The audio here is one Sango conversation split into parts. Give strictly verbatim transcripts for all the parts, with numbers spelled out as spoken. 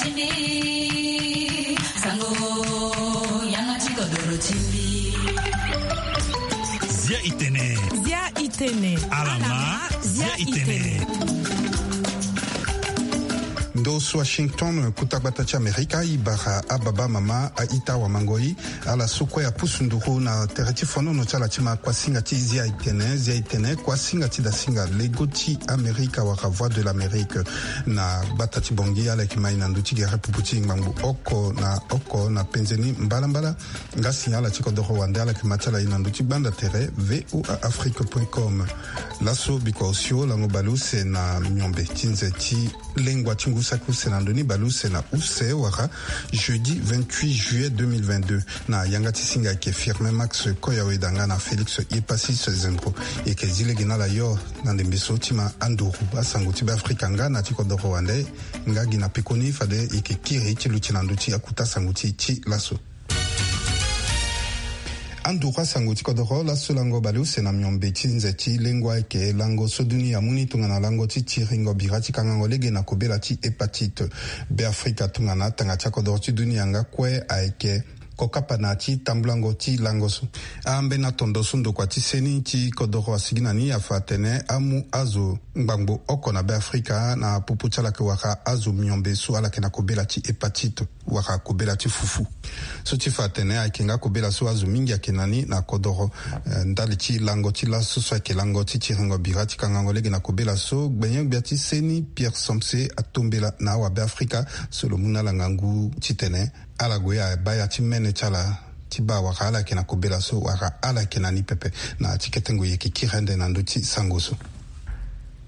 Zia itene. Zia itene. Alama. Zia itene. Ndo so Washington, kuta gbata ti Amerika, i bara ababa mama, a-ita, awamangoi, ala so kue apusu nduru na tere ti fonono ti ala ti ma kuasinga ti Zia itene. Zia itene, kuasinga ti dasinga lego ti Amerika wala Voix de l'Amérique. Na gbata ti Bangui, ala yeke ma e na ndö ti gere pupu ti ngbangbo oko na oko na penze ni mbalambala. Nga si ala ti kodoro wande, ala yeke ma ti ala e na ndö ti gbanda tere V O A Afrique point com. Laso bikua osio lango baleuse na miombe ti nze ti lengua ti ngu saki use na ndö ni baleuse na use wala jeudi vingt-huit juillet deux mille vingt-deux. Na yanga ti singa ayeke Firmin Max Koyaweda nga na Félix Epasis Zempo. E yeke zi lege na ala yo na ndembe so ti ma anduru asango ti Beafrika nga na ti kodoro wande. Nga gi na peko ni fade e yeke kiri ti luti na ndö ti akuta sango ti e ti laso. Anduru asango ti kodoro. Laso lango baleuse na miombe ti nze ti lengua ayeke lango so dunia amu ni tongana lango ti tiringo bira ti kangango lege na kobela ti hépatite. Beafrika tongana atanga ti akodoro ti dunia nga kue ayeke kokapa na ti tambulango ti lango so. Ambeni atondo so ndokua ti seni ti kodoro asigi na ni afa atene amu azo ngbangbo oko na Beafrika na popo ti ala yeke wara azo miombe so ala yeke na kobela ti hépatite wala kobela ti fufu. So ti fa atene ayeke nga kobela so azo mingi ayeke na ni na kodoro. Eh, ndali ti lango ti laso so ayeke lango ti tiringo bira ti kangango lege na kobela so, gbenyo-gbia ti seni Pierre Somse atombela na awabeafrika so lo mu na ala ngangu titene ala gue abaa ya ti mene ti ala ti baa wala ala yeke na kobela so wala ala yeke na ni pepe. Na ti kete ngoi e yeke kiri ande na ndö ti sango so.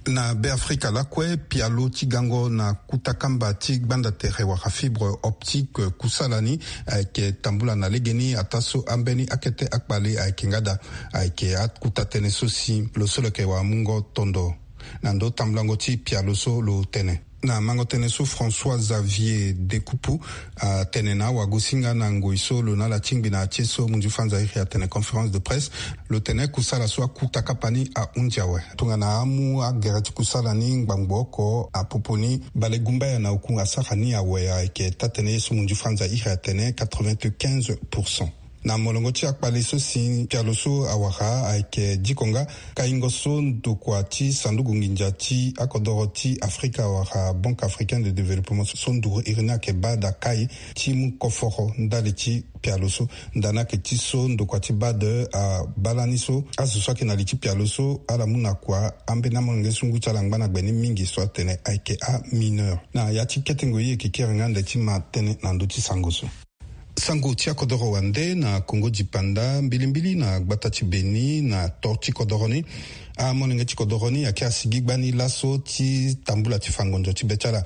Na Beafrika lakue, pialo ti gango na kuta kamba ti gbanda tere wala fibre optique kusala ni ayeke tambula na legeni ataa so ambeni akete akpale ayeke nga daa. Ayeke akuta tënë so si lo so lo yeke wamungo tondo na ndo tambulango ti pialo so lo tene. Na mango tënë so François Xavier Dekupu atene na awagosinga na ngoi so lo na ala tingbi na ya ti e so munzu fanza iri atene conférence de presse, lo tene kusala so akuta kapa ni ahunzi awe. Tongana amu agere ti kusala ni ngbangbo oko, apopo ni bale gumbaya na oku asara ni awe ayeke taa-tënë ye so munzu fanza iri atene quatre-vingt-quinze pour cent. Na molongo ti akpale so si pialo so awara ayeke diko nga kaingo so ndokua ti sanduku nginza ti akodoro ti Afrika wala Banque Africaine de Développement so nduru iri ni ayeke baa daa kai ti mu koforo ndali ti pialo so. Nda ni ayeke ti so ndokua ti bade abaa lani so azo so ayeke na li ti pialo so ala mu na kua ambeni amolenge so ngu ti ala angba na gbe ni mingi so atene ayeke amineur. Na ya ti kete ngoi e yeke kiri nga ande ti ma tënë na ndö ti sango so. Sango ti akodoro wande na Kongo dipanda, mbilimbili na gbata ti Beni, na tor ti kodoro ni. Amolenge ti kodoro ni ayeke asigi gbani laso ti tambula ti fa ngonzo ti be ti ala.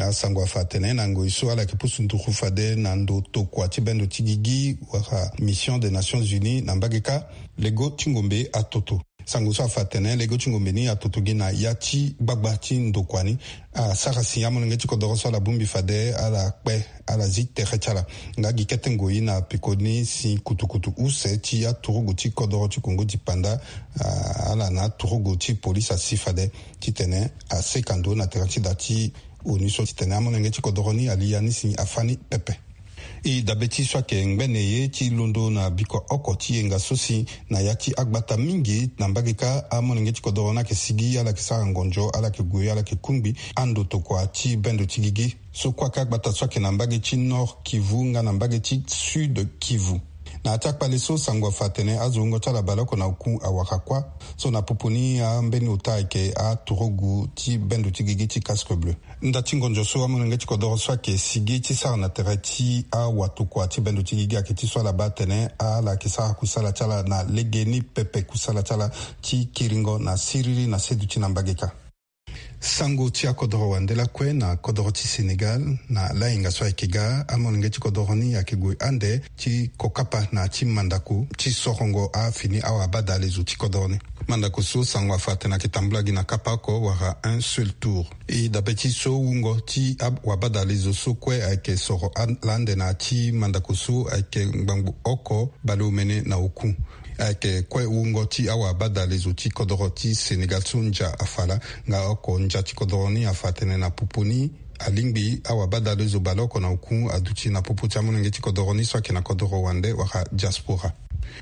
Asango afa atene na ngoi so ala yeke pusu nduru fade na ndo tokua ti bendo ti gigi wala Mission des Nations Unies na mbage kâ, lego ti ngombe atoto. Sango so afa atene lego ti ngombe ni atoto gi na ya ti gbagba ti ndokua ni. Asara si amolenge ti kodoro so ala bongbi fade ala kpe, ala zi tere ti ala. Nga gi kete ngoi na peko ni si kutukutu use ti aturugu ti kodoro ti Kongo dipanda, ah, ala na aturugu ti polise asi fade titene aseka ndo na tere ti da ti ONU so titene amolenge ti kodoro ni ali ya ni si afâ ni pepe. E dabe ti so ayeke ngbene ye ti londo na bikua oko ti yenga so si na ya ti agbata mingi na mbage kâ, amolenge ti kodoro ni ayeke sigi, ala yeke sara ngonzo, ala yeke gue, ala yeke kungbi ando tokua ti bendo ti gigi. So kue ayeke agbata so ayeke na mbage ti Nord Kivu nga na mbage ti Sud Kivu. Na ya ti akpale so sango afa atene azo wungo ti ala baleoko na oku awara kuâ. So na popo ni ambeni ota ayeke aturugu ti bendo ti gigi ti Casque Bleu. Nda ti ngonzo so amolenge ti kodoro so ayeke sigi ti sara na tere ti awatokua ti bendo ti gigi ayeke ti so ala baa atene ala yeke sara kusala ti ala na legeni pepe, kusala ti ala ti kiringo na siriri na seduti na mbage kâ. Sango ti akodoro wande lakue na kodoro ti Sénégal, na lahinga so ayeke ga, amolenge ti kodoro ni ayeke gue ande ti kokapa na ya ti mandako ti sorongo afini awabadalezo ti kodoro ni. Mandako so sango afa atene ayeke tambula gi na kapa oko wala un seul tour. E dabe ti so wungo ti awabadalezo so kue ayeke soro lande na ya ti mandako so ayeke ngbangbo oko bale omene na oku. Ayeke kue wungo ti awabadalezo ti kodoro ti Sénégal so ndia afa laa. Nga oko ndia ti kodoro ni afa atene na popo ni Alingbi awabadalezo baleoko na oku aduti na popo ti amolenge ti kodoro ni so ayeke na kodoro wande wala diaspora.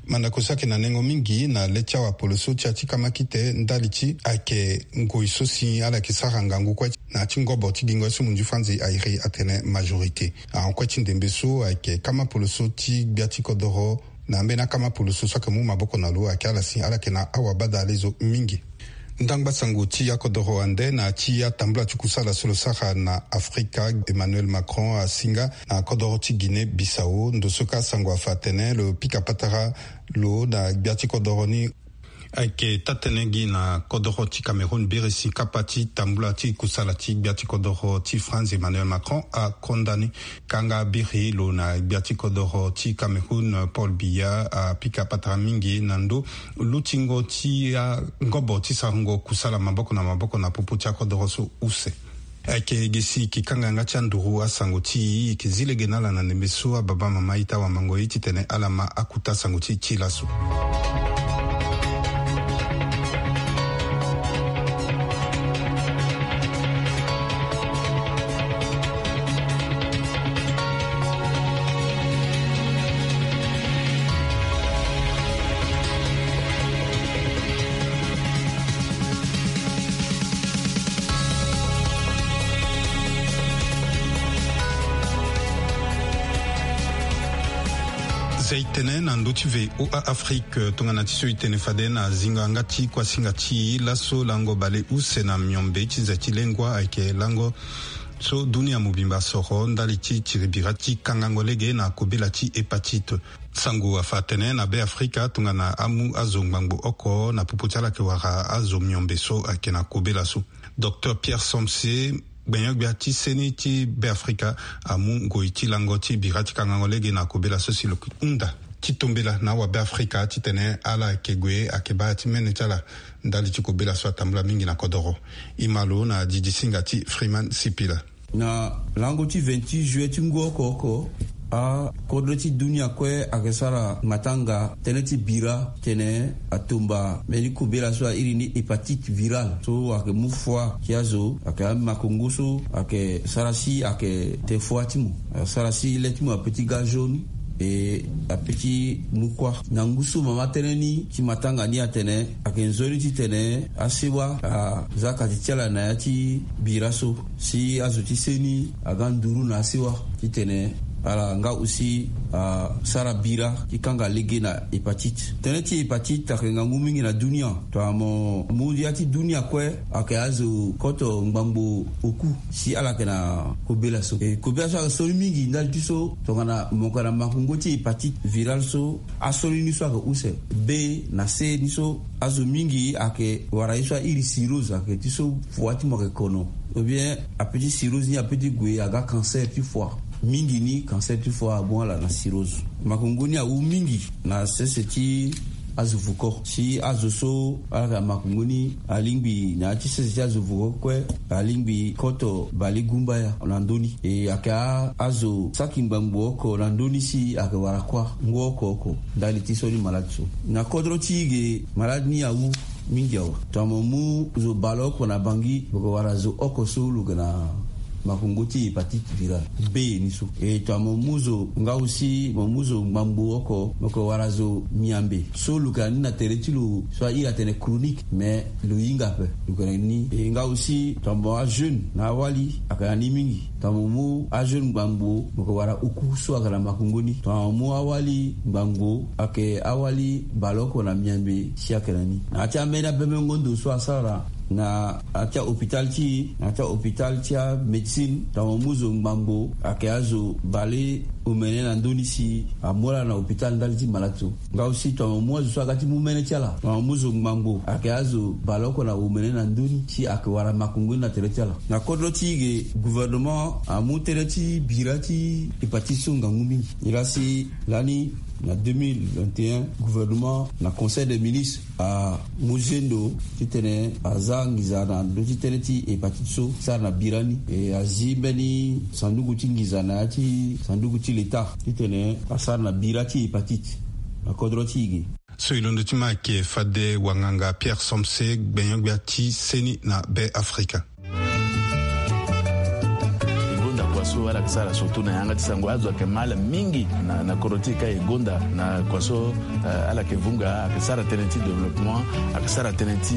Mandako so ayeke na nengo mingi na le ti awapoloso ti ya ti kamakite ndali ti ayeke ngoi so si ala yeke sara ngangu kue na ya ti ngobo ti gingo ye so munzu franzi airi atene majorité. Ahon kue ti ndembe so ayeke kama poloso ti gbia ti kodoro na ambeni akama poloso so ayeke mu maboko na lo ayeke ala si ala yeke na awabadalezo mingi. Ndangba sango ti akodoro wande na ya ti atambula ti kusala so lo sara na afrika, Emmanuel Macron asinga na kodoro ti Guinée Bissau. Ndo so ka sango afa atene lo pika patara lo na gbia ti kodoro ni. Ayeke taa-tënë gi na kodoro ti Cameroun biri si kapa ti tambula ti kusala ti gbia ti kodoro ti France Emmanuel Macron akonda ni. Kanga biri lo na gbia ti kodoro ti Cameroun Paul Biya apika patara mingi na ndo lutingo ti angobo ti sarango kusala maboko na maboko na popo ti akodoro so use. Ayeke gi si e ke kanga yanga ti anduru asango ti e, e ke zi lege na ala na ndembe so ababa mama ita wamango ye titene ala ma akuta sango ti e ti laso. Zia e tene na ndö ti VOA Afrique tongana ti so e tene fade na zingo yanga ti kuasinga ti e laso lango baleuse na miombe ti zia ti lengua ayeke lango so dunia mobimba asoro ndali ti tiri bira ti kangango lege na kobela ti hépatite. Sango afa atene na Be Afrika tongana amu azo ngbangbo oko na popo ti ala ayeke wara azo miombe so ayeke na kobela so. Docteur Pierre Somse, gbenyo-gbia ti seni ti Be Afrika, amu ngoi ti lango ti bira ti kangango lege na kobela so si lo hunda ti tombela na awabe Afrika titene ala yeke gue ayeke baa ti mene ti ala ndali ti kobela so atambula mingi na kodoro. E ma lo na didi singa ti Freeman Sipila. Na lango ti vingt-huit juillet ti ngu oko oko, akodro ti dunia kue ayeke sara matanga tënë ti bira titene atumba mbeni kobela so airi ni hépatite virale so ayeke mu foi ti azo, ayeke amakongo so ayeke sara si ayeke te foi ti mo, ayeke sara si le ti mo ape ti ga jaune. E ape ti mu kuâ na ngu so mama tënë ni ti matanga ni atene ayeke nzoni titene asewa aza kati ti ala na ya ti bira so si azo ti seni aga nduru na asewa titene ala nga aussi asara bira ti kanga lege na hépatite. Tënë ti hépatite ayeke ngangu mingi na dunia. Tongana mo mu ya ti dunia kue ayeke azo koto ngbangbo oku si ala yeke na kobela so. E kobela so ayeke soni mingi ndali ti so tongana mo yeke na makongo ti hépatite virale so, asoni ni so ayeke use. B na C ni so azo mingi ayeke wara ye so airi cirrhose, ayeke ti so foi ti mo ayeke kono. Ou bien ape ti cirrhose ni ape ti gue aga cancer ti foi. Mingi ni cancer ti foi amu ala na cirrhose. Makongo ni awu mingi na sese ti azo vuko si azo so ala yeke na makongo ni alingbi na ya ti sese ti azo vuko kue alingbi koto bale gumbaya na ndö ni. E ayeke a azo saki ngbangbo oko na ndö ni si ayeke wara kuâ ngu oko oko ndali ti so ni malade so. Na kodro ti e ge malade ni awu mingi awe. Tongana mo mu zo baleoko na Bangui, mo yeke wara zo oko so lo yeke na makongo ti hépatite virale B ni so. E tongana mo mu zo nga aussi mo mu zo ngbangbo oko, mo yeke wara zo miambe so lo yeke na ni na tere ti lo so airi atene chronique, mais lo hinga ape. Lo yeke na ni. E nga aussi tongana mo ajeune na awali ayeke na ni mingi. Tongana mo mu ajeune ngbangbo, mo yeke wara oku so ayeke na makongo ni. Tongana mo mu awali ngbangbo, ayeke awali baleoko na miambe si ayeke na ni. Na ya ti ambeni abemengo ndo so asara na ya ti ahôpital ti e, na ya ti ahôpital ti amédecine, tongana mo mu zo ngbangbo ayeke azo bale omene na ndö ni si amu ala na hôpital ndali ti malade so. Nga aussi tongana mo mu azo so aga ti mu mene ti ala, tongana mo mu zo ngbangbo ayeke azo baleoko na omene na ndö ni si ayeke wara makongo ni na tere ti ala. Na kodro ti e ge gouvernement amu tënë ti bira ti hépatite so ngangu mingi. Nilaa si lani na deux mille vingt et un gouvernement na conseil des ministres amu zendo titene aza nginza na ndö ti tënë ti hépatite so sara na bira ni. E azi mbeni sanduku ti nginza na ya ti sanduku ti leta titene asara na bira ti hépatite na kodro ti e ge. So e londo ti ma ayeke fade wanganga Pierre Somse, gbenyo-gbia ti seni na Be Afrika. So ala yeke sara surtout na yanga ti sango azo ayeke ma ala mingi na, na kodro ti e ka e gonda na kua so, eh, ala yeke vunga ayeke sara tënë ti développement, ayeke sara tënë ti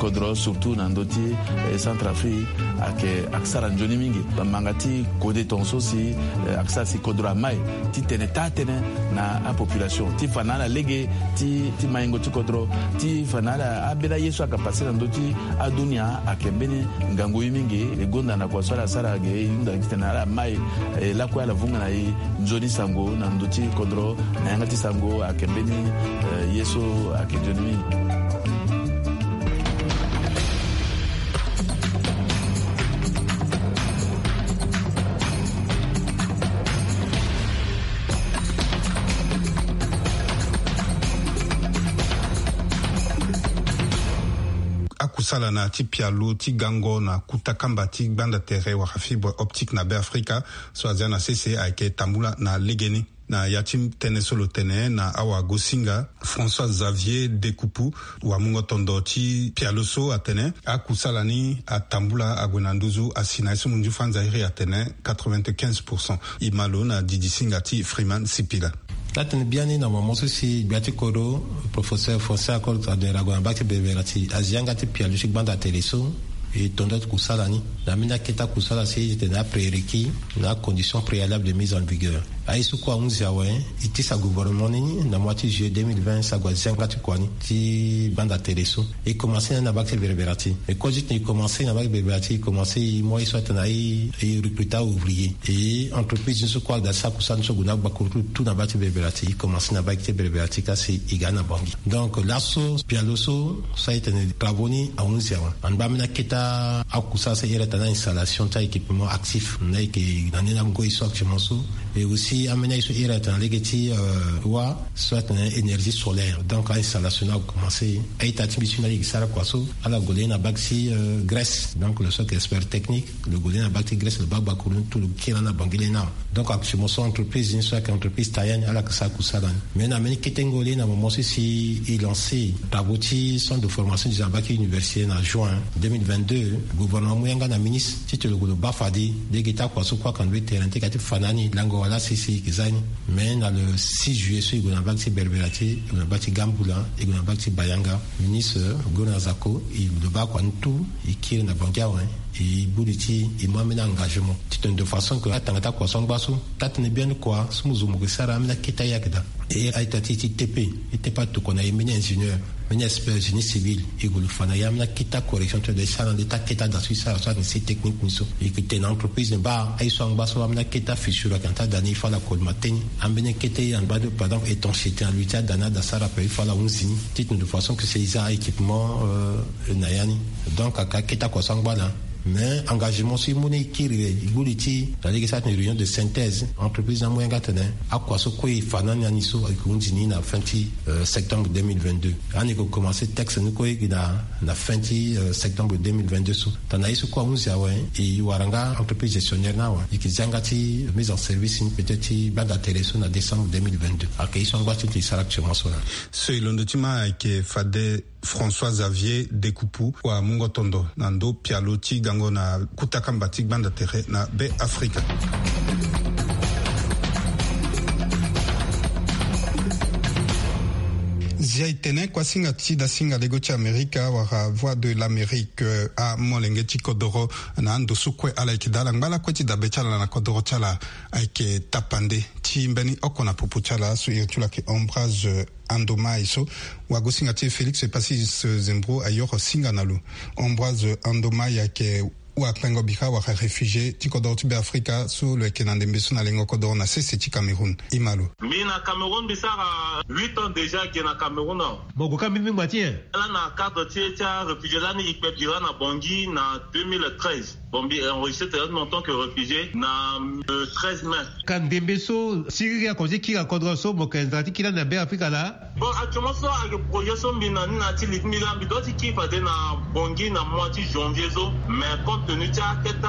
kodro surtout na ndö ti, eh, Centrafrique ayeke, ayeke sara nzoni mingi. Manga ti kode tongaso si, eh, ayeke sara si kodro amai ti tene taa tënë na apopulation ti fa na ala lege ti, ti maingo ti kodro ti fa na ala ambeni aye so ayeke pase na ndö ti adunia ayeke mbeni ngangu ye mingi. E gonda na kua so ala sara ge e hunda gi tene ala mai, eh, lakue ala vunga na e nzoni sango na ndö ti kodro na yanga ti sango ayeke mbeni, eh, ye so ayeke nzoni mingi. Akusala na ya ti pialo ti gango na kuta kamba ti gbanda tere wala fibre optique na Beafrika so azia na sese ayeke tambula na legeni. Na ya ti tënë so lo tene na awagosinga, François Xavier Dekupu, wamungo tondo ti pialo so atene akusala ni atambula ague na nduzu asi na ye so munzu fanza iri atene quatre-vingt-quinze pour cent. E ma lo na didisinga ti Freeman Sipila. Atene biani na mama so si gbia ti kodro, professeur François Akol adera ague na bak ti berbera ti azi yanga ti pialo ti gbanda tere so. E tondo ti kusala ni na ambeni akete akusala si e tene aprérequis na acondition préalable de mise en vigueur. Aye so kue ahunzi awe, e tisa gouvernement ni na mois ti juillet deux mille vingt si ague azi yanga ti kua ni ti gbanda tere so. E commencé na ni na bak ti berbera ti e. E kue ti tene e commencé na bak ti berbera ti e, e commencé e mu aye so atene aye e recruter ouvrier. E entreprise ni so kue agda ti sara kusala ni so ague na agbakuru ti lo tout na bak ti berbera ti e. E commencé na bak ti berbera ti e ka si e ga na Bangui. Donc laso pialo so so aye tene travaux ni ahunzi awe. Angba ambeni akete akusala so e iri atene na installation ti a-équipement actif na e yeke na ni na ngoi so actuellement so. Et aussi ambeni aye so e iri atene na lege ti, euh, wa so atene énergie solaire. Donc a-installation ni akomanse. A-ita ti mbi so ni ayeke sara kua so ala gue le na bak ti, euh, Grèce. Donc lo so ayeke expert technique, lo gue le na bak ti Grèce, lo baa gbakuru ni tout, lo kiri na Bangui le na. Donc actuellement so entreprise ni so ayeke entreprise Taïwan, ala yeke sara kusala ni. Mais na mbeni kete ngoi le na moment so si e lancé travaux ti centre de formation des, na bak ti université na juin deux mille vingt-deux, gouvernement amu yanga na ministre ti tene lo gue lo baa fade lege ti akua so kue ayeke na ndo ti terrain ti ka ti fa na ni lango wala sese e yeke za ni. Mais na le six juillet so e gue na bak ti berbera ti e, e gue na bak ti Gambula, e gue na bak ti Bayanga, ministre Gona Zako, e lo baa kua ni tout, e kiri na Bangui awe. E gbu li ti e mu ambeni engagement ti tene de façon que atanga ti akua so angba so, taa-tënë biani kua so mo zo mo ke sara ambeni akete aye ayeke daa. E a-ita ti e ti tepe, e tepe atokua na e mbeni ingénieur, mbeni expert génie civil, e gue lo fa na e ambeni akete acorrection ti lo daa e sara na le ti akete ada so e sara so ayeke si technique ni so. E yeke tene na entreprise ni baa aye so angba so ambeni akete afissure ayeke na ti ada ni, il faut ala kolima tënë. Ambeni akete angba de, par exemple étanchéité na lui ti ada ni, ada sara ape, il faut ala hunzi ni ti tene de façon que si e za a-équipement, euh, na ya ni. Donc ayeke akete akua so angba laa. Mais engagement so e mu ni e kiri, e gbu li ti e na lege so atene réunion de synthèse, entreprise ni amu yanga atene akua so kue e fa na ni na ni so ayeke hunzi ni na fin ti, euh, septembre deux mille vingt-deux. Ani e ke commencé texte ni kue e gi na, na fin ti, euh, septembre deux mille vingt-deux so. Tongana ye so kue ahunzi awe, e wara nga entreprise gestionnaire ni awe, e yeke zi yanga ti mise en service ni peut-être ti gbanda tere so na décembre deux mille vingt-deux. Ayeke ye so angba ti e sara actuellement so laa. So e londo ti ma ayeke fade François Xavier Dekupu, wamungo tondo na ndo pialo ti gango na kuta kamba ti gbanda tere na Beafrika. Zia e tene kuasinga ti dasinga lego ti Amerika wala Voix de l'Amérique, eh, amolenge ti kodoro na ando so kue ala yeke daa ala ngba lakue ti dabe ti ala na kodoro ti ala ayeke tapande ti mbeni oko na popo ti ala so iri ti lo ayeke Ambroise Andomai so wagosinga ti e Félix Pacis Zembro ayoro singa na lo. Ambroise Andomai ayeke wakpengo bika wala réfugié ti kodoro ti Beafrika so lo yeke na ndembe so na lengo kodoro na sese ti Cameroun. E ma lo. Mbi na Cameroun mbi sara huit ans déjà ge na Cameroun awe. Mo gue ka mbimbi ngba ti nyen? Lani na cadre ti, ti aréfugié lani e kpe bira na Bangui na deux mille treize. Bon, mbi enregistré tene en tant que réfugié na le treize mai. Ka ndembe so siriri akonzi ti kiri na kodro so mo yeke nzara ti kiri lani na Beafrika laa? Bon, actuellement so ayeke projet so mbi na ni na ya ti li ti mbi laa, mbi doit ti kiri fade na Bangui na mois ti janvier so. Mais compte tenu ti akete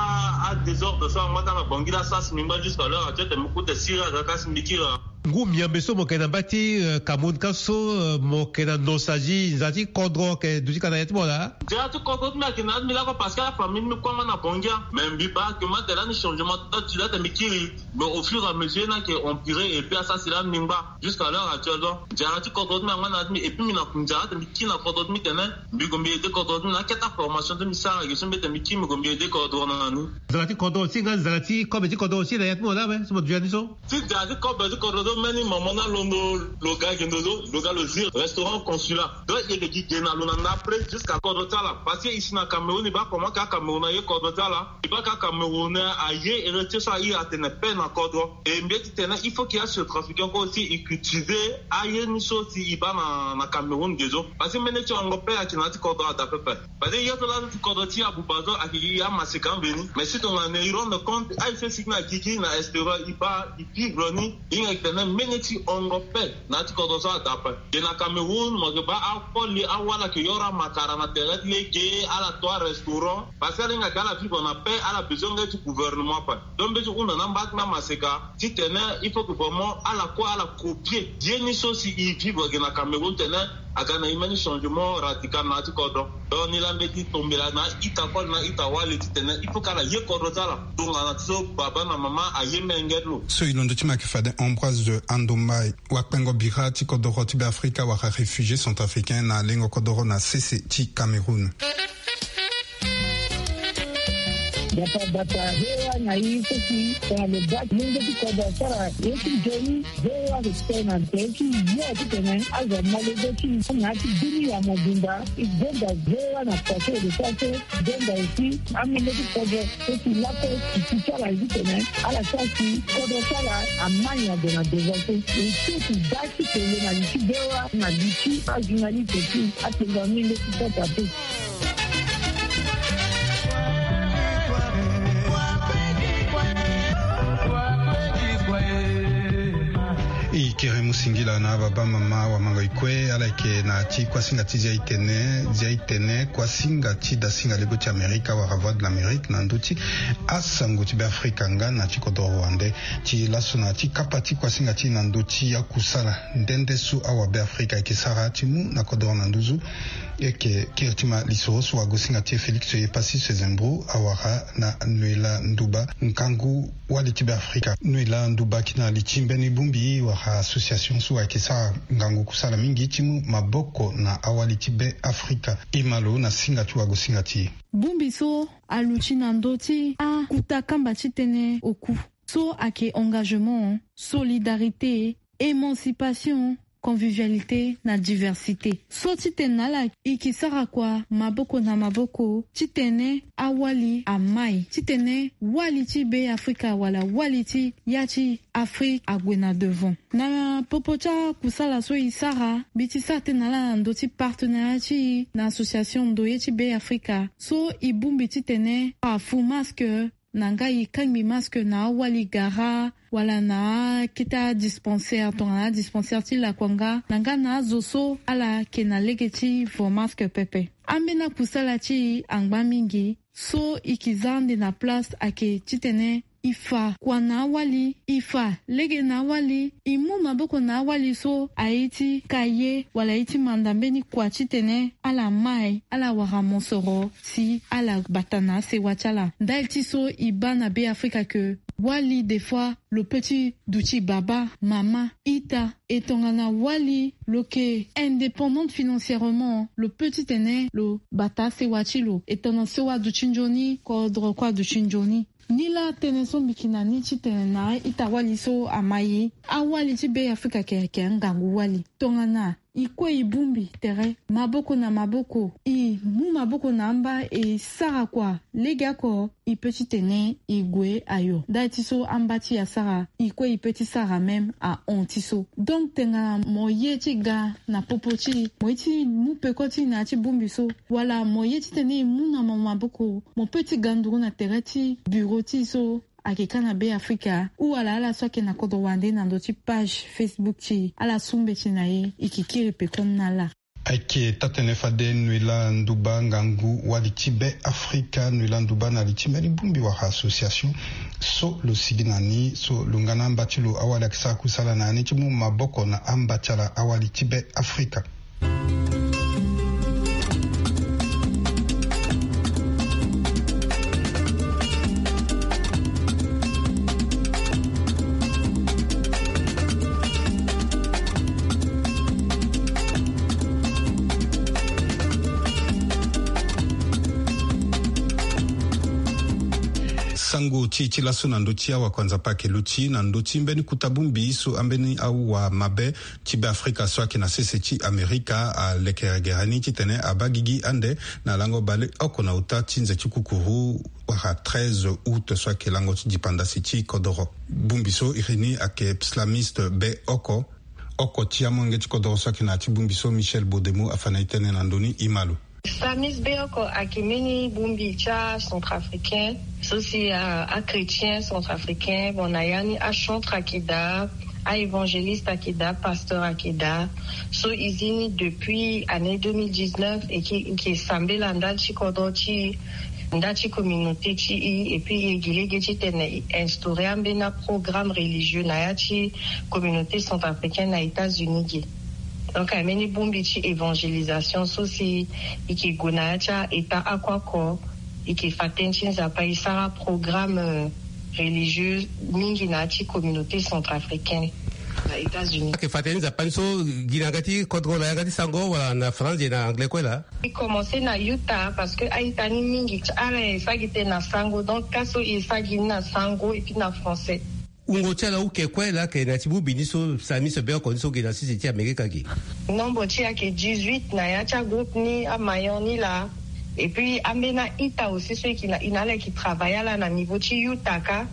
adésordre so angba ka na Bangui laa, sara si mbi ngba jusqu'à l'heure actuelle tene mbi kue tene siriri aga ka si mbi kiri. Ngu miambe so mo yeke na mba ti, eh, Cameroun ka so, eh, mo yeke na nostalgie, nzara ti kodro ayeke duti ka na ya ti mo laa. Nzara ti kodro ti mbi ayeke na ya ti mbi lakue parce que afamille ti mbi kue nga na Bangui. Mais mbi baa ayeke ma tere lani changement ti date ti la ete mbi kiri. Mais au fur et à mesure ni ayeke empiré et puis asara si lani mbi ngba. Jusqu'à l'heure actuelle donc nzara ti kodro ti mbi angba na ya ti mbi et puis mbi na nzara ete mbi kiri na kodro ti mbi tene mbi gue mbi aidé kodro ti mbi na akete aformation ti mbi sara ge so mbi ete mbi kiri mbi gue mbi aidé kodro na ni. Nzara ti kodro aussi nga nzara ti kobe ti kodro aussi na ya ti mo laa awe so mo duti ya ni so. Ti da ti kobe ti kodro so mbeni mama na londo lo ga gendo lo lo ga lo zi restaurant consulat. Donc e yeke gi ge na lo na ndapre jusqu'à kodro ti ala parce que e si na Cameroun e baa comment ka Cameroun aye kodro ti ala. E baa ka Cameroun aye héritier so a iri atene paix na kodro. E mbi ye ti tene il faut que asetrafiquant kue aussi e cultiver aye ni so si e baa na na Cameroun ge so. Parce que mbeni ti hongo paix ayeke na ya ti kodro ada pepe. Parce que ye so laa ti kodro ti abuba so ayeke gi amaseka mbeni mais si tongana e rendre compte aye so e sigi na gigi na extérieur e baa e vivre ni. E hinga yeke tene mbeni ti hongo paix na ya ti kodro so ada ape. Ge na Cameroun mo yeke baa akoli awali ayeke yoro amakara na tere ti lege ala to arestaurant. Parce que ala hinga yeke ala vivre na paix ala besoin nge ti gouvernement ape. Donc mbi ye ti hunda na amba ti mbi amaseka titene il faut que vraiment ala kue ala copier ye ni so si e vivre ge na Cameroun tene aga na e mbeni changement radical na ya ti kodro. Donc ni laa mbi ye ti tombela na a-ita koli na a-ita wali titene il faut que ala ye kodro ti ala tongana ti so baba na mama aye menge ti lo. So e londo ti mbi ayeke fade Ambroise Andombai, wakpengo bira ti kodoro ti Beafrika wala réfugié centrafricain na lengo kodoro na sese ti Cameroun. Bata bata hewa na i so si tongana lo baa ti lenge ti kodro asara ye ti nzoni. Hewa respect na nze ti yo titene azo malego ti na ya ti dunia mobimba. E gonda hewa na kua so e lo sara so. Gonda aussi amenge ti kodro so si lakue e ti ti ala ye titene ala sara si kodro ti ala amai ague na devant so. E so e ti baa ti tene na li ti hewa na li ti ajournaliste ti atengua amenge ti kota te. E kere mu singila na ababa mama wamango e kue ala yeke na ti kuasinga ti zia e tene zia e tene kuasinga ti dasinga lego ti Amerika wala Voix de l'Amérique na ndö ti asango ti Beafrika nga na ti kodoro wande. Ti laso na ti kapa ti kuasinga ti e na ndö ti akusala nde nde so awabeafrika ayeke sara ti mu na kodoro na nduzu. E yeke kiri ti ma lisoro so wagosinga ti e Félix Epassis Sezembro awara na Noëlla Ndouba, ngangu wali ti Beafrika. Noëlla Ndouba, ki na li ti mbeni bongbi wala association so ayeke sara ngangu kusala mingi ti mu maboko na awali ti Beafrika. E ma lo na singa ti wagosinga ti e. Bongbi so aluti na ndö ti akuta kamba titene oku so ayeke engagement, solidarité, émancipation, convivialité na diversité. So titene na ala e ke sara kua maboko na maboko titene awali amai, titene wali ti Beafrika wala wali ti ya ti Afrique ague na devant. Na popo ti akusala so e sara, mbi ti sara tënë na ala na ndö ti partenariat ti e na association Ndoye ti Beafrika so e bongbi titene afu masque na nga e kangbi masque na awali gara wala na akete adispensaire tongana adispensaire ti lakua nga na nga na azo so ala yeke na lege ti vo masque pepe. Ambeni akusala ti e angba mingi so e ke za ande na place ayeke titene e fa kua na awali, e fa lege na awali, e mu maboko na awali so aye ti ka ye wala aye ti manda mbeni kua titene ala mai ala wara mosoro si ala bata na asewa ti ala. Ndali ti so e baa na Beafrika ke wali des fois lo peut ti duti baba, mama, ita. E tongana wali lo yeke indépendante financièrement, lo peut titene lo bata asewa ti lo. E tongana sewa aduti nzoni, kodro kue aduti nzoni. Nilaa tënë so mbi yeke na ni titene na a-ita wali so amai, awali ti Beafrika ayeke ayeke angangu wali. Tongana e kue e bongbi tere maboko na maboko, e mu maboko na amba e sara kua legeoko, e peut titene e gue ayo. Ndali ti so amba ti e asara, e kue e peut ti sara même ahon ti so. Donc tongana mo ye ti ga na popo ti e, mo ye ti mu peko ti e na ya ti bongbi so, wala mo ye titene e mu na mo maboko, mo peut ti ga nduru na tere ti bureau ti e so ayeke kâ na Beafrika, ou ala ala so ayeke na kodro wande na ndö ti page Facebook ti e, ala su mbeti na e, e yeke kiri peko ni na ala. Ayeke taa-tënë fade noela nduba ngangu wali ti be afrika, noela nduba na li ti mbeni bongbi wala association so lo sigi na ni so lo nga na amba ti lo awali ayeke sara kusala na ya ni ti mu maboko na amba ti ala awali ti be afrika. Sango ti e ti laso na ndö ti awakua nzapa ayeke luti na ndö ti mbeni kuta bongbi so ambeni awamabe ti be afrika so ayeke na sese ti amerika aleke gere ni titene abaa gigi ande na lango baleoko na ota ti nze ti kukuru wala treize août so ayeke lango ti dipandasi ti kodoro. Bongbi so iri ni ayeke pslamiste be oko. Oko ti amolenge ti kodoro so ayeke na ya ti bongbi so Michel Bodemo afa na e tënë na ndö ni, e ma lo. Samis Beoko ayeke mbeni bongbi ti acentrafricain so si achrétien centrafricain. Bon, na ya ni achantre ayeke daa, aévangéliste ayeke daa, pasteur ayeke daa. So e zi ni depuis année deux mille dix-neuf e ke, e ke sambela ndali ti kodro ti e, ndali ti communauté ti e, et puis e gi lege titene e instaurer ambeni aprogramme religieux na ya ti communauté centrafricaine na États-Unis ge. Donc ayeke mbeni bongbi ti évangélisation so si e ke gue na ya ti a-état oko oko, e ke fa tënë ti Nzapa, e sara programme religieux mingi na ya ti communauté centrafricaine na États-Unis. Ayeke fa tënë ti Nzapa ni so gi na yanga ti kodro, na yanga ti sango, wala na français, na anglais kue laa? E commencé na Utah parce que a-ita ni mingi ti ala e sara gi tënë na sango, donc ka so e sara gi ni na sango et puis na français. Wungo ti ala uke kue laa ayeke na ya ti bongbi ni so Samis Beoko ni so gi na sese ti Amerika ge? Nombre ti e ayeke dix-huit na ya ti agroupe ni, amayon ni laa. Et puis ambeni a-ita aussi so e ke na, e na ala e ke travailler ala na niveau ti Utah kâ.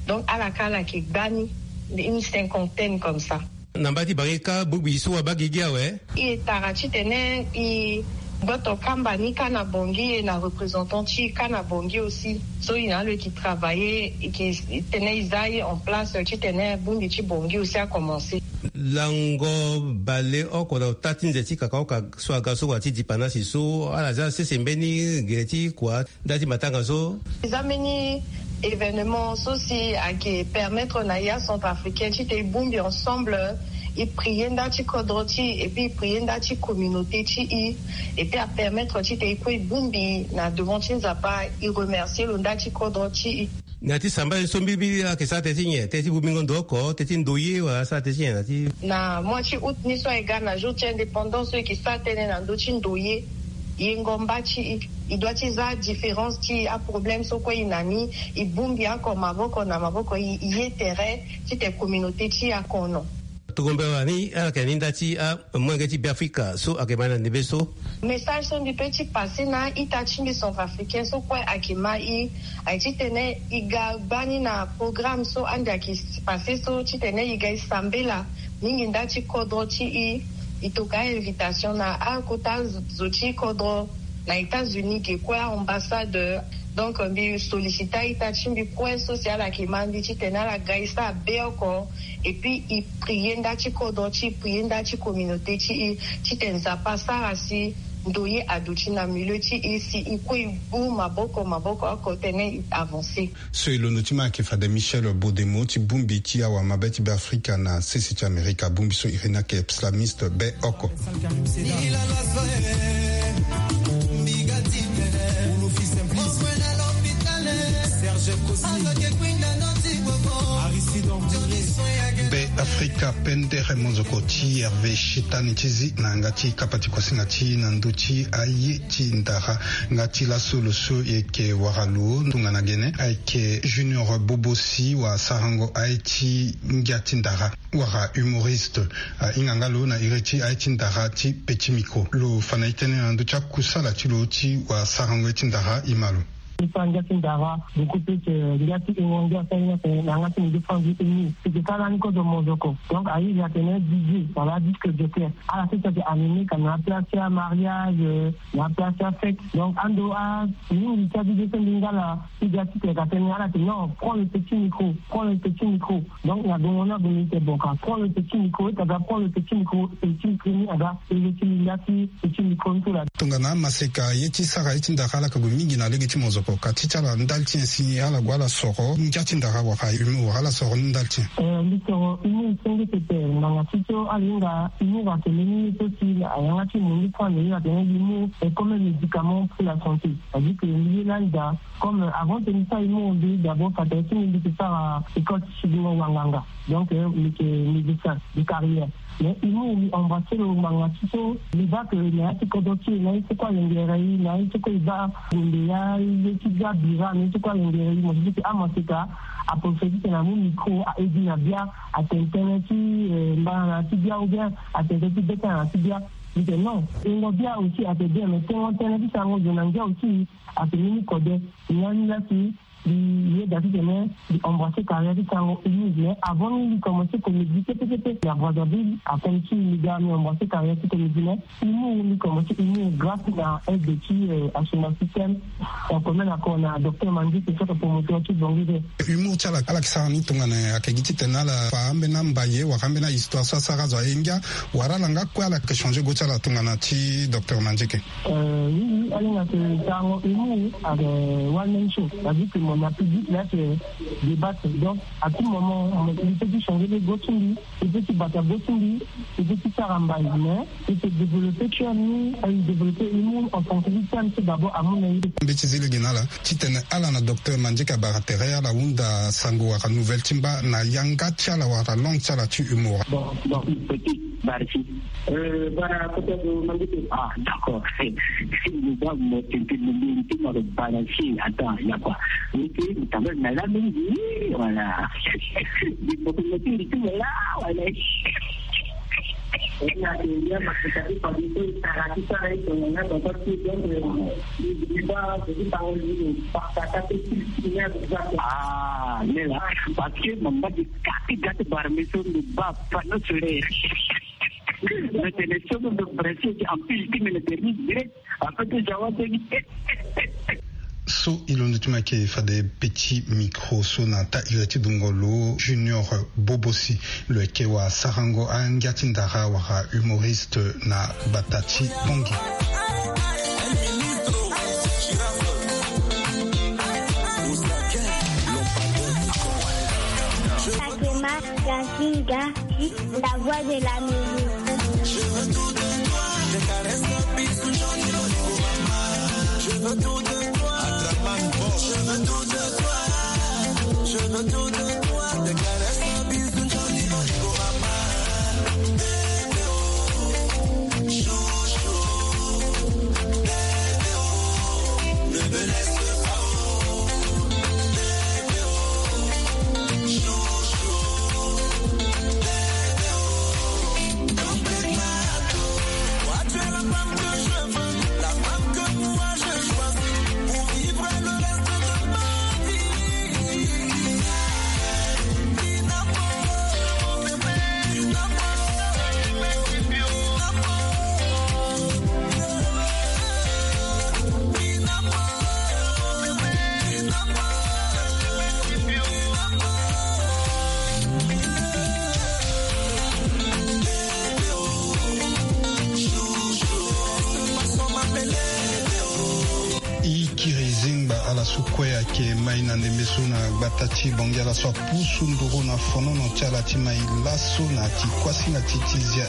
Donc ala kâ ala yeke gbani une cinquantaine comme ça. Na mbage ti Bangui kâ bongbi so abaa gigi awe? E tara titene e gboto kamba ni kâ na Bangui, e na représentant ti e kâ na Bangui aussi. So e na ala e ke travailler, e ke tene e za e en place titene bongbi ti Bangui aussi a commencé. Lango baleoko na ota ti nze ti kakaoka so aga so wala ti dipandasi so, ala za sese mbeni gere ti kua ndali ti matanga so? E za mbeni événement so si ayeke permettre na e acentrafricain titene e bongbi ensemble, e prier ndali ti kodro ti e, et puis e prier ndali ti communauté ti e, et puis apermettre titene e kue e bongbi na devant ti Nzapa, e remercier lo ndali ti kodro ti e. Na ya ti sambela ni so mbirimbiri ayeke sara tënë ti nyen? Tënë ti bongbingo ndo oko, tënë ti ndoye, wala asara tënë ti nyen na ya ti? Na mois ti août ni so ayeke ga na jour ti indépendance so e ke sara tënë na ndö ti ndoye. Yengo mba ti e, e doit ti za différence ti aproblème so kue e na ni, e bongbi oko maboko na maboko, e, e ye tere titene communauté ti e akono. Tongombe wani ala yeke na ni ndali ti amolenge ti Beafrika so ayeke ma na ndembe so? Message so mbi peut ti passer na a-ita ti mbi centrafricain so kue ayeke ma e, ayeke titene e ga gbani na programme so ande ayeke passer so, titene e ga e sambela mingi ndali ti kodro ti e. E tokua invitation na akota zo ti kodro na États-Unis ge kue, a-ambassade. Donc mbi solliciter a-ita ti mbi kue so si ala yeke ma mbi titene ala ga e sara beoko, et puis e prier ndali ti kodro ti e, prier ndali ti communauté ti e, titene Nzapa asara si ndoye aduti na milieu ti e, si e kue e bongbi maboko maboko oko titene e avancer. So e londo ti ma ayeke fade Michel Bodemo ti bongbi ti awamabe ti Beafrika na sese ti Amerika, bongbi so iri ni ayeke pslamiste beoko. Beafrika pendere, monzoko ti Hervé Shitani ti zi na yanga ti kapa ti kuasinga ti e na ndö ti aye ti ndara. Nga ti laso lo so e yeke wara lo tongana gene ayeke Junior Bobosi, wala sarango aye ti ngia ti ndara, wala humoriste. Ahinga nga lo na iri ti aye ti ndara ti petit micro. Lo fa na e tënë na ndö ti akusala ti lo ti wara sarango aye ti ndara, e ma lo. Mbi sara ngia ti ndara, beaucoup plus, euh, ngia ti ingo ngia asara ni atene na yanga ti mbi nde franzi eni. Eke sara lani kozo mozoko. Donc ayizi atene D J wala disque jockey. Ala sese ake animé ka na place ti amariage, euh, na place ti afête. Donc ando a mingi ti a D J so mbi nga la ti ga ti tene ka tene ala tene non, prends le petit micro, prends le petit micro. Donc na gongo ni ague mbi tene bon ka prends le petit micro, e ta ga prends le petit micro, petit micro ni aga e ye ti linda ti petit micro ni so la. Tongana amaseka ye ti sara ye ti ndara ala ka gue mingi na lege ti mozoko ka ti ti ala ndali ti nyen si ala gue ala soro ngia ti ndara wala humour wala ala soro ni ndali ti nyen? Eh, mbi soro humour senge pepe ngbanga ti so ala hinga humour ake mbeni ye so si na yanga ti mo ni so ande ye atene humour est comme un médicament pour la santé. C'est-à-dire que mbi ye lani daa. Comme, euh, avant ti mbi sara humour mbi d'abord fade ti mbi mbi ke sara école ti sidingo wanganga. Donc, euh, mbi ke musicien de carrière. Mais humour mbi embrasser lo ngbanga ti so mbi baa que na ya ti kodro ti e na ye ti kue alengere e na ye ti kue e baa gonde ya ye ti bia bira na ye ti kue alengere e mo ti ke amaseka. Aprofite ti tene amu micro a edi na bia atene tënë ti, euh, mbana na ya ti bia ou bien atene tënë ti be tënë na ya ti bia. Mbi tene non, tengo bia aussi ate bien mais tengo tënë ti sango zo na ngia aussi. Ate ni ni kode. Ni lani la si mbi yeda ti tene mbi embrasser carrière ti sango humour. Mais avant ni mbi commencer comédie kete kete na Brazzaville, akomi ti mbi ga mbi embrasser carrière ti comédie mais humour mbi commencer humour grâce na aide ti, euh, Asuma Système. Donc même ako na docteur Mandieke so ake promoteur ti Bongi de. Humour ti ala ala ke sara ni tongana ayeke gi titene ala fa ambeni ambaye wala ambeni ahistoire so asara azo aye ngia, wala ala nga kue ala yeke changer go ti ala tongana ti docteur Mandieke? Euh, oui, oui, ala hinga ke sarango humour ayeke one man show. C'est-à-dire que mo na public la ayeke débattre. Donc à tout moment mo peut ti changer le go ti mbi. E peut ti bata go ti mbi, e peut ti sara mbai, mais e peut développer cœur ni, e développer humour en fonction du thème ti d'abord amu na ye. Mbeti zi lege na ala titene ala na docteur Mandieke abara tere ala hunda sango wala nouvelle ti mba na yanga ti ala wala langue ti ala ti humour. Bon, bon, petit, merci. Euh, voilà, peut-être, euh, Mandieke. Ah, d'accord. Mo baa mo tene mo mérité mo lo balancer. Attends, il y a quoi? Mérité, mo tambula na la mingi, voilà. Di mo ko mo tene mo la, voilà. Ah, lela, parce que mo mba di kati gati bara mbi so mbi baa panneau solaire. Mbi tene so mbi branché ti ampule ti mbi na thermos direct. Après ti jawa teni. So e londo ti mo ayeke fade petit micro so na taa iri ti dungo lo Junior Bobosi. Lo yeke wasarango angia ti ndara wala humoriste na gbata ti Bangui. Fatima Yasinga, la voix de la musique. E kiri zingba ala so kue ayeke mai na ndembe so na gbata ti Bangui, ala so apusu nduru na fonono ti ala ti mai laso na ti kuasinga ti ti zia.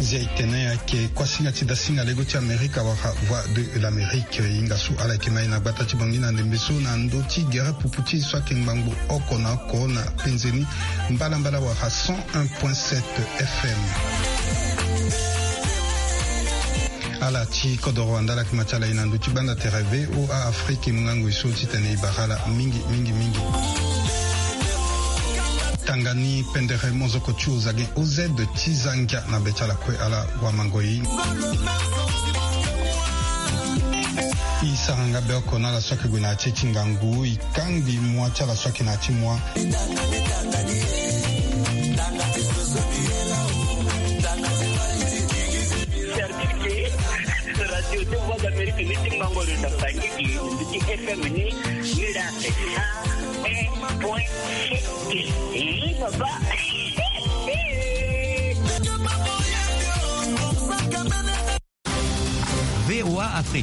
Zia e tene Ayeke kuasinga ti dasinga lego ti Amerika wala Voix de l'Amérique. E hinga so ala yeke ma e na gbata ti Bangui na ndembe so na ndö ti gere pupu ti e so ayeke ngbangbo oko na oko na penze ni mbalambala wala cent un point sept F M. Ala ti kodoro wandala yeke ma ti ala e na ndö ti gbanda tere V O A Afrique, e mu ngangu e so titene e bara ala mingi mingi mingi. Tanga ni pendere mozoko ti oza gi O Z ti za ngia na be ti ala kue ala wamango e. E sara nga be oko na ala so ayeke gue na ya ti e ti ngangu, e kangbi mua ti ala so ayeke na ya ti mua. Service de Radio de Voix d'Amérique ni ti mango lo na Bangui, ti F M ni, ni la. Cent un point sept. Eh, papa. V O A Afrique.